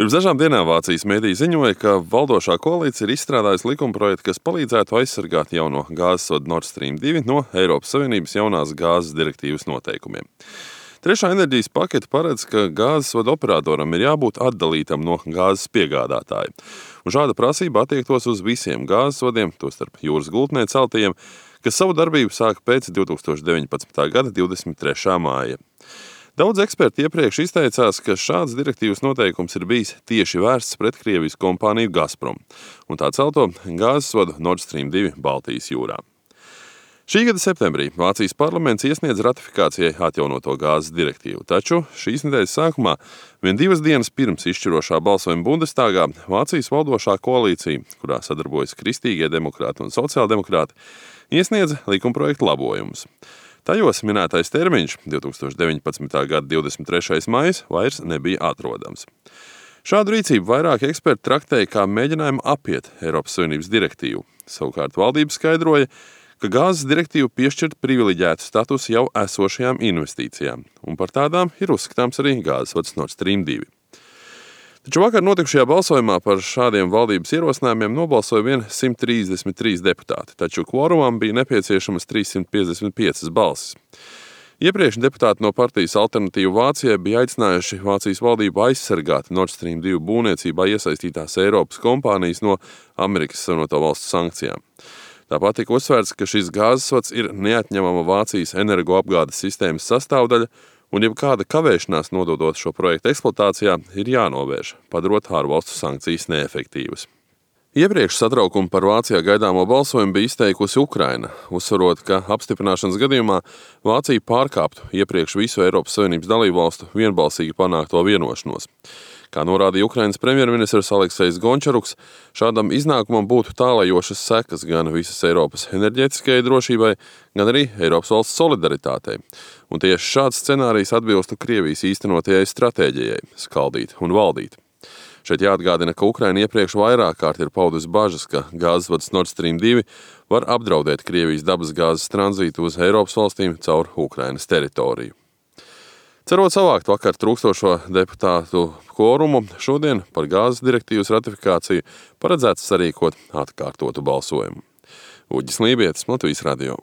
Pirms dažām dienām Vācijas mediji ziņoja, ka valdošā koalīcija ir izstrādājusi likumprojektu, kas palīdzētu aizsargāt jauno gāzes vadu Nord Stream 2 no Eiropas Savienības jaunās gāzes direktīvas noteikumiem. Trešā enerģijas pakete paredz, ka gāzes vadu operatoram ir jābūt atdalītam no gāzes piegādātāja. Un šāda prasība attiektos uz visiem gāzes vadiem, tostarp jūras gultnē celtajiem, kas savu darbību sāka pēc 2019. gada 23. māja. Daudz eksperti iepriekš izteicās, ka šāds direktīvas noteikums ir bijis tieši vērsts pret Krievijas kompāniju Gazprom un tā celto gāzes vadu Nord Stream 2 Baltijas jūrā. Šī gada septembrī Vācijas parlaments iesniedz ratifikācijai atjaunoto gāzes direktīvu, taču šīs nedēļas sākumā, vien 2 dienas pirms izšķirošā balsojuma Bundestāgā, Vācijas valdošā koalīcija, kurā sadarbojas kristīgie demokrāti un sociāldemokrāti, iesniedza likumprojektu labojumus. Tajos minētais termiņš, 2019. gada 23. maijs, vairs nebija atrodams. Šādu rīcību vairāki eksperti traktēja kā mēģinājumu apiet Eiropas Savienības direktīvu. Savukārt valdība skaidroja, ka gāzes direktīva piešķirt privileģētu statusu jau esošajām investīcijām, un par tādām ir uzskatāms arī gāzes vads Nord Stream 2. Taču vakar notikušajā balsojumā par šādiem valdības ierosinājumiem nobalsoja vien 133 deputāti, taču kvorumam bija nepieciešamas 355 balsis. Iepriekš deputāti no partijas Alternatīva Vācijai bija aicinājuši Vācijas valdību aizsargāt Nord Stream 2 būvniecībā iesaistītās Eiropas kompānijas no Amerikas Savienoto Valstu sankcijām. Tāpat tika uzsvērts, ka šis gāzes vads ir neatņemama Vācijas energoapgādes sistēmas sastāvdaļa, un jebkāda kavēšanās nododot šo projektu eksploatācijā ir jānovērš, padarot ārvalstu sankcijas neefektīvas. Iepriekš satraukumu par Vācijā gaidāmo balsojumu bija izteikusi Ukraina, uzsverot, ka apstiprināšanas gadījumā Vācija pārkāptu iepriekš visu Eiropas Savienības dalībvalstu vienbalsīgi panākto vienošanos. Kā norādīja Ukrainas premjerministrs Aleksejs Gončaruks, šādam iznākumam būtu tālajošas sekas gan visas Eiropas enerģētiskajai drošībai, gan arī Eiropas valsts solidaritātei. Un tieši šāds scenārijs atbilstu Krievijas īstenotajai stratēģijai – skaldīt un valdīt. Šeit jāatgādina, ka Ukraina iepriekš vairāk kārt ir paudusi bažas, ka gāzes vads Nord Stream 2 var apdraudēt Krievijas dabasgāzes tranzītu uz Eiropas valstīm caur Ukrainas teritoriju. Cerot savākt vakar trūkstošo deputātu kvorumu, šodien par gāzes direktīvas ratifikāciju paredzēts sarīkot atkārtotu balsojumu. Uģis Lībietis, Latvijas radio.